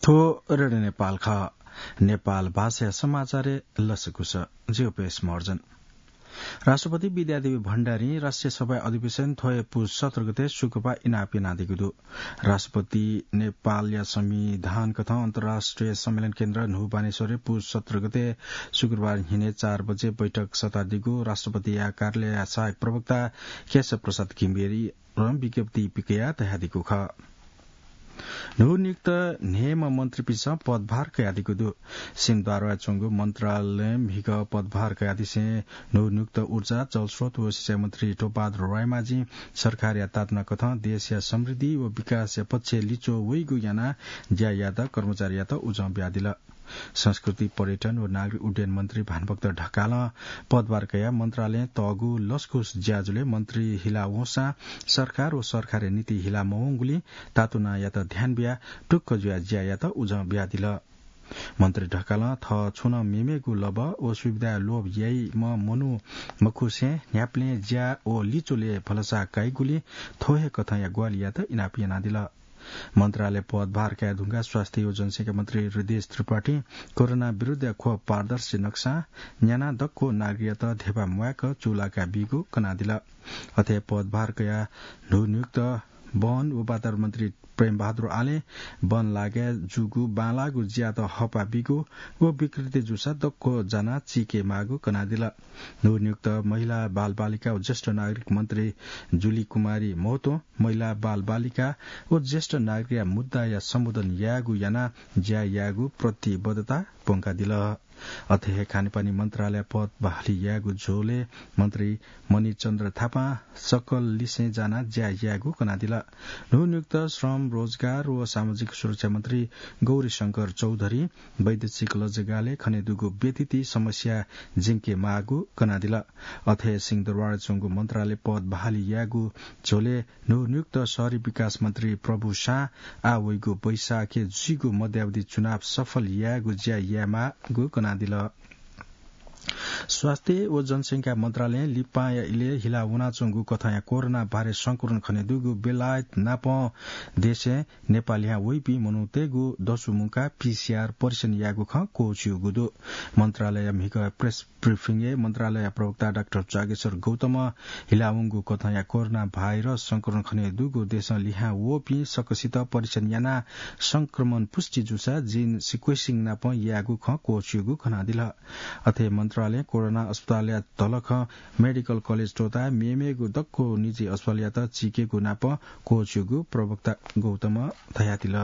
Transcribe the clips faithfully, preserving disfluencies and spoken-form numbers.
थ्व रेडियो नेपाल खः। नेपाल भाषाया समाचारय् लसकुस। जिगु पेश महर्जन। राष्ट्रपति विद्यादेवी भण्डारीं राष्ट्रिय सभा अधिवेशन थ्वया पुस सत्र गते शुक्रबार इनाप यानादीगु दु। राष्ट्रपति नेपालया संविधान कथं अन्तर्राष्ट्रिय सम्मेलन केन्द्र न्हू बानेश्वरय् पुस सत्र गते शुक्रबार न्हिनय् चार बजे बैठक सतादीगु राष्ट्रपतिया कार्यालयया सहायक प्रवक्ता केशव प्रसाद घिमिरें विज्ञप्ति पिकयाः धयादीगु खः। न्हू नियुक्त न्हय्म्ह मन्त्रीपिन्सं पदभार कयादीगु दु। सिंहदरबारय् च्वंगु मन्त्रालयं म्हिगः पदभार कयादिसें न्हू नियुक्त ऊर्जा, जलस्रोत व सिँचाइ मन्त्री टोपबहादुर रायमाझीं सरकारया तातना कथं देशया समृद्धि व विकासया पक्षय् लिच्वः वइगु यानाः ज्या याःपिं कर्मचारीयात उजं बियादिल। संस्कृति, पर्यटन व नागरिक उड्डयन मन्त्री भानुभक्त ढकालं पदभार कयाः मन्त्रालयं तःगु लसकुस ज्याझ्वलय् मन्त्री हिला वंसां सरकार व सरकारया नीति हिला मवंगुलिं तातुनायात ध्यान बियाः टुक्क जुयाः ज्या यायेत उजं बियादिल। मन्त्री ढकालं थः छुं नं मेमेगु लबः व सुविधाया लोभ याइम्ह मनू मखुसें न्ह्याबलें ज्या व लिच्वलय् भलसा काइगुलिं थ्व हे कथंया ग्वाहालियात इनाप यानादिल। मन्त्रालय पदभार काये धुंकाः स्वास्थ्य व जनसंख्या मन्त्री हृदयेश त्रिपाठीं कोरोना विरुद्धया खोप पारदर्शी नक्सां न्यानाः दक्व नागरिकयात धेबा म्वायेक चूलाका बीगु कनादिल। अथे पदभार कयाः न्हू नियुक्त वन व वातावरण मन्त्री प्रेमबहादुर आलें वन लागाय् जूगु बांलाःगु ज्यात हःपाः बीगु व विकृति जूसा दक्व जानाः चीके माःगु कनादिल। न्हू नियुक्त महिला, बालबालिका व ज्येष्ठ नागरिक मन्त्री जुली कुमारी महतों महिला, बालबालिका व ज्येष्ठ नागरिकया मुद्दाया सम्बोधन यायेगु यानाः ज्या यायेगु प्रतिबद्धता प्वंकादिल। अथे हे खानेपानी मन्त्रालय पद बहाली यायेगु झ्वलय् मन्त्री मणिचन्द्र थापां सकल लिसें जानाः ज्या यायेगु कनादिल। न्हू नियुक्त श्रम, रोजगार व सामाजिक सुरक्षा मन्त्री गौरीशंकर चौधरीं वैदेशिक लजगालय् खनेदुगु व्यतिथि समस्या ज्यंके माःगु कनादिल। अथे सिंहदरबारय् च्वंगु मन्त्रालय पद बहाली यायेगु झ्वलय् न्हू नियुक्त शहरी विकास मन्त्री प्रभु शाहं आः वइगु वैशाखय् जुइगु मध्यावधि चुनाव सफल यायेगु ज्या यायेमाःगु कनादिल। स्वास्थ्य व जनसंख्या मन्त्रालयं लिपांया इलय् हिला वनाच्वंगु कथंया कोरोना भाइरस संक्रमण खनेदुगु बेलायत नापं देशय् नेपालयां वइपिं मनूतय्गु दसु मुंकाः पीसीआर परीक्षण यायेगु खँ क्वःछिउगु दु। मन्त्रालयया म्हिगः प्रेस ब्रिफिङय् मन्त्रालयया प्रवक्ता डाक्टर जागेश्वर गौतमं हिला वंगु कथंया कोरोना भाइरस संक्रमण खनेदुगु देशं लिहां वःपिं सकसित परीक्षण यानाः संक्रमण पुष्टि जूसा gene sequencing नापं यायेगु खँ क्वःछिउगु कनादिल। अथे मन्त्रालयं कोरोना अस्पतालया धलखं मेडिकल कलेज त्वःताः मेमेगु दक्व निजी अस्पतालयात चीकेगु नापं क्वःछिउगु प्रवक्ता गौतमं धयादिल।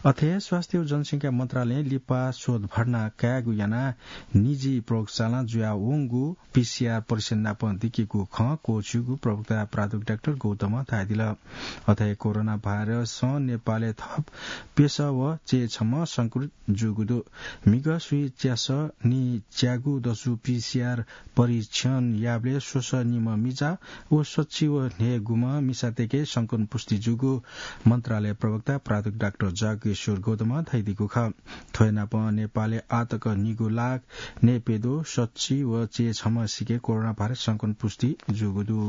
अथे स्वास्थ्य व जनसंख्या मन्त्रालयं लिपा शोध भर्ना कायेगु यानाः निजी प्रयोगशालां जुयावंगु पीसीआर परीक्षण नापं दिकेगु खँ क्वःछिउगु प्रवक्ता प्राध्यापक डाक्टर गौतमं धयादिल। अथे कोरोना भाइरसं नेपालय् थप प्यसः व च्यय्छम्ह संक्रमित जूगु दु। म्हिगः स्वीच्यासः निच्यागु दसु पीसीआर परीक्षण याःबलय् स्वसः निम्ह मिजा व सच्छि व न्हय्गुम्ह मिसातय्के संक्रमण पुष्टि जूगु मन्त्रालय प्रवक्ता प्राध्यापक डाक्टर जागेश्वर गौतमं धयादीगु खः। थ्वयानापं नेपालय् आःतक निगू लाख न्हय्प्यद्वः सच्छि व च्यय्छम्ह सिके कोरोना भाइरस संक्रमण पुष्टि जूगु दु।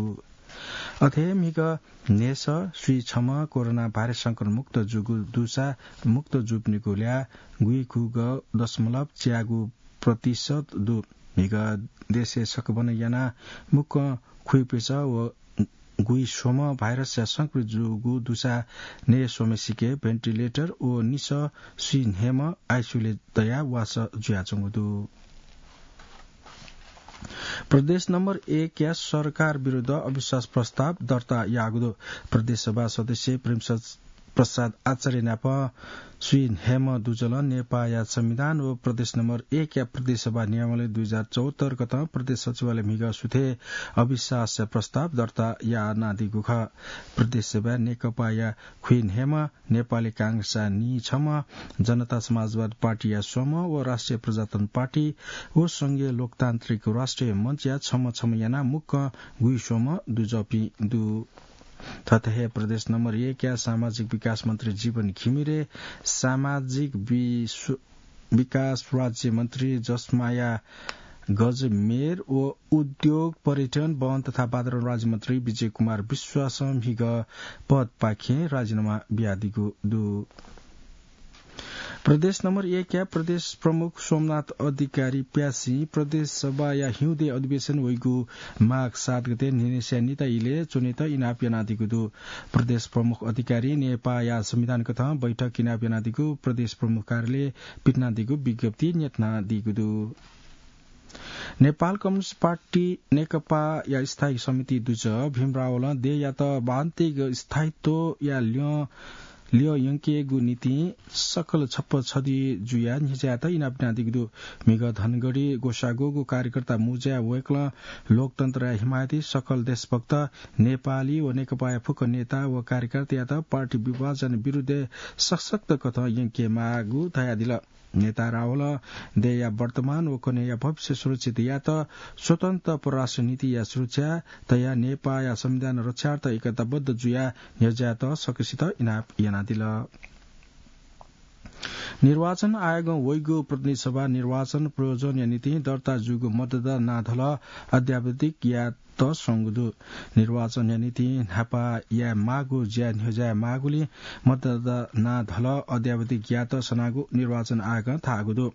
अथे म्हिगः न्हय्सः स्वीछम्ह कोरोना भाइरस संक्रमण मुक्त जूगु दुसा मुक्त जूपिनिगु ल्याः गुइखुगः दशमलव च्यागू प्रतिशत दु। म्हिगः देशय् सकभनं यानाः मुक्कं खुइप्यसः व गुइस्वम्ह भाइरसया संक्रमित जूगु दुसा न्हय्स्वम्ह सिके भेन्टिलेटर व निसः स्वीन्हय्म्ह आइसियुलय् दयाः वासः जुयाच्वंगु दु। प्रदेश नम्बर एकया सरकार विरुद्ध अविश्वास प्रस्ताव दर्ता याःगु दु। प्रदेश सभा सदस्य प्रेमप्रसाद आचार्य नाप स्वीन्हय्म्ह दुजलं नेपाःया संविधान व प्रदेश नम्बर एकया प्रदेश सभा नियमावली दुई हजार चौहत्तर कथं प्रदेश सचिवालय म्हिगः सुथय् अविश्वास प्रस्ताव दर्ता यानादीगु खः। प्रदेश सभाय् नेकपाया खुइन्हय्म्ह, नेपाली कांग्रेसया नीछम्ह, जनता समाजवादी पार्टीया स्वम्ह व राष्ट्रिय प्रजातन्त्र पार्टी व संघीय लोकतान्त्रिक राष्ट्रिय मञ्चया छम्ह छम्ह यानाः मुक्कं गुइस्वम्ह दुजःपिं दु। थथे हे प्रदेश नम्बर एकया सामाजिक विकास मन्त्री जीवन घिमिरे, सामाजिक विश्व-, विकास राज्य मन्त्री जसमाया गजमेर व उद्योग, पर्यटन, वन तथा वातावरण राज्यमन्त्री विजय कुमार विश्वासं म्हिगः पदपाखें राजीनामा बियादीगु दु। प्रदेश नम्बर एक या प्रदेश प्रमुख सोमनाथ अधिकारी प्यासिं प्रदेश सभाया हिउँदे अधिवेशन वइगु माघ सात गते न्हिनेस्या निता इले च्वनेत इनाप यानादीगु दु। प्रदेश प्रमुख अधिकारी नेपाःया संविधान कथं बैठक इनाप यानादीगु प्रदेश प्रमुख कार्यालय पिथनादीगु विज्ञप्ति न्यतनादीगु दु। नेपाल कम्युनिस्ट पार्टी नेकपाया स्थायी समिति दुजः भीम रावलं देय्‌यात बान्तिक स्थायित्वया ल्यं, ल्यं यंकेगु निंतिं सकल छप्पा छधी जुयाः न्ह्यज्यायेत इनाप यानादीगु दु। म्हिगः धनगढी ग्वसाःगुगु कार्यकर्ता मुँज्याय् वय्‌कलं लोकतन्त्रया हिमायती सकल देशभक्त नेपाली व नेकपाया फुक्क नेता व कार्यकर्तायात पार्टी विभाजन विरुद्धय् सशक्त कथं यंकेमाःगु धयादिल। नेता रावलं देय्‌या वर्तमान व कन्हय्‌या भविष्य सुरक्षित यायेत स्वतन्त्र परराष्ट्र नीतिया सुरक्षा तयाः नेपाःया संविधान रक्षार्थ एकताबद्ध जुयाः न्ह्यज्यायेत सकसित इनाप यानादिल। निर्वाचन आयोगं वइगु प्रतिनिधि सभा निर्वाचन प्रयोजनया निंतिं दर्ता जूगु मतदाता नां धलः अद्यावधिक यायेत स्वंगु दु। निर्वाचनया निंतिं न्हापा यायेमाःगु ज्या न्ह्यज्यायेमाःगुलिं मतदाता नां धलः अद्यावधिक यायेत सनागु निर्वाचन आयोगं धाःगु दु।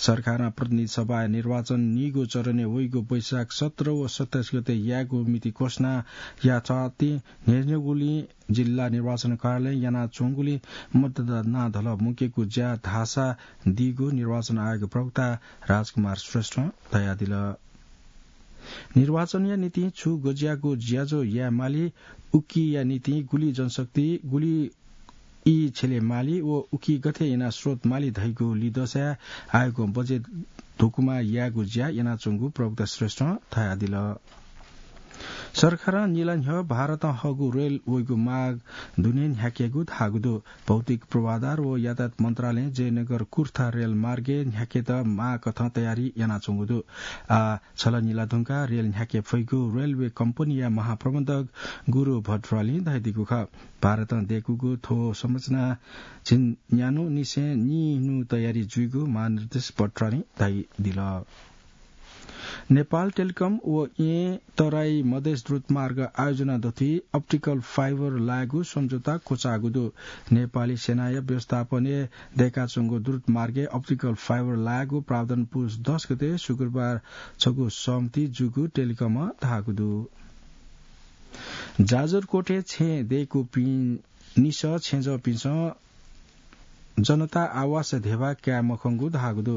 सरकारं प्रतिनिधि सभाया निर्वाचन निगू चरणय् वइगु वैशाख सत्र व सत्ताइस गते यायेगु मिति घोषणा याःथें न्ह्यज्याःगुलिं जिल्ला निर्वाचन कार्यालयं यानाच्वंगुलिं मतदाता नां धलः मुंकेगु ज्या धाःसा दीगु निर्वाचन आयोग प्रवक्ता राजकुमार श्रेष्ठं धयादिल। निर्वाचनया निंतिं छु गज्याःगु ज्याझ्वः यायेमाली, उकिया निंतिं गुलि जनशक्ति, गुलि ई छ्यलेमाली व उकी गथे यानाः स्रोत माली धइगु लिदँसाय् आयोगं बजेट धुकुमा यायेगु ज्या यानाच्वंगु प्रवक्ता श्रेष्ठं धयादिल। सरकारं निला न्ह्यः भारतं हःगु रेल वइगु माग दुने न्ह्याकेगु धाःगु दु। भौतिक पूर्वाधार व यातायात मन्त्रालयं जयनगर कुर्था रेल मार्गय् न्ह्याकेत माःकथं तयारी यानाच्वंगु दु। आः छलनिला धुंकाः रेल न्ह्याके फइगु रेलवे कम्पनीया महाप्रबन्धक गुरु भट्टरालीं धयादीगु खः। भारतं दय्‌कूगु थ्व संरचना झिंन्यान्हुनिसें निन्हु तयारी जुइगु महानिर्देशक भट्टरालीं धयादिल। नेपाल टेलिकम व येँ तराई मधेस द्रुतमार्ग आयोजना दथुइ अप्टिकल फाइबर लायेगु सम्झौता क्वचाःगु दु। नेपाली सेनाया व्यवस्थापनय् दय्‌काच्वंगु द्रुतमार्गय् अप्टिकल फाइबर लायेगु प्रावधान पुस दस गते शुक्रबार छगू सहमति जूगु टेलिकमं धाःगु दु। जाजरकोटय् छेँ दय्‌कूपिं निसः छेँजःपिन्सं जनता आवास ध्यबा काये मखंगु धाःगु दु।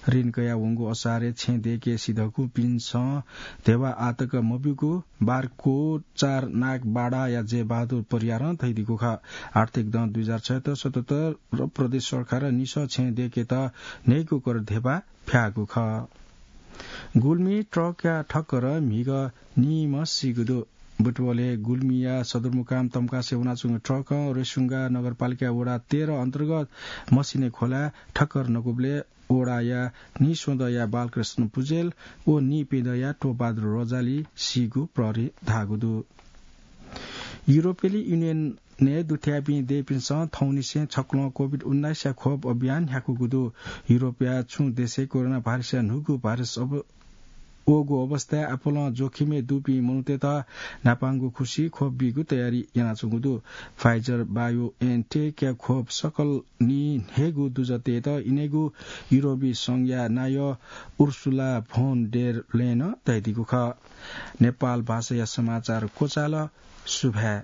ऋण कयाः वंगु असारय् छेँ दय्‌के सिधःकूपिन्सं ध्यबा आःतक मब्यूगु बारकोट चार नागबाडाया जयबहादुर परियारं धयादीगु खः। आर्थिक दँ दुई हजार छयत्तर सतहत्तर र प्रदेश सरकारं निसः छेँ दय्‌केत न्हय्‌गू कर ध्यबा फ्याःगु खः। गुल्मी ट्रकया ठक्कर म्हिगः नीम्ह सीगु दु। बुटवलय् गुल्मीया सदरमुकाम तम्कासे वनाच्वंगु ट्रकं रेसुङ्गा नगरपालिका वडा तेह्र अन्तर्गत मसिने खोलाय् ठक्कर नकूबलय् वडाया नीस्वदँया बालकृष्ण पुजेल व नीपेदँया टोपबहादुर रजाली सीगु प्रहरीं धाःगु दु। युरोपेली युनियनय् दुथ्याःपिं देय्‌पिन्सं थौंनिसें छक्वलं कोभिड उन्नाइसया खोप अभियान न्ह्याकूगु दु। युरोपया छुं देशय् कोरोना भाइरसया न्हूगु भाइरस अब-, वःगु अवस्थाय् आपालं जोखिमय् दुपिं मनूतय्‌त न्हापांगु खुसि खोप बीगु तयारी यानाच्वंगु दु। Pfizer BioNTech-या खोप सकल नीन्हय्‌गू दुजःतय्‌त इनेगु युरोपी संघया नायः उर्सुला फोन डेर लेयनं धयादीगु खः। नेपाल भाषाया समाचार क्वचाल। सुभाय्।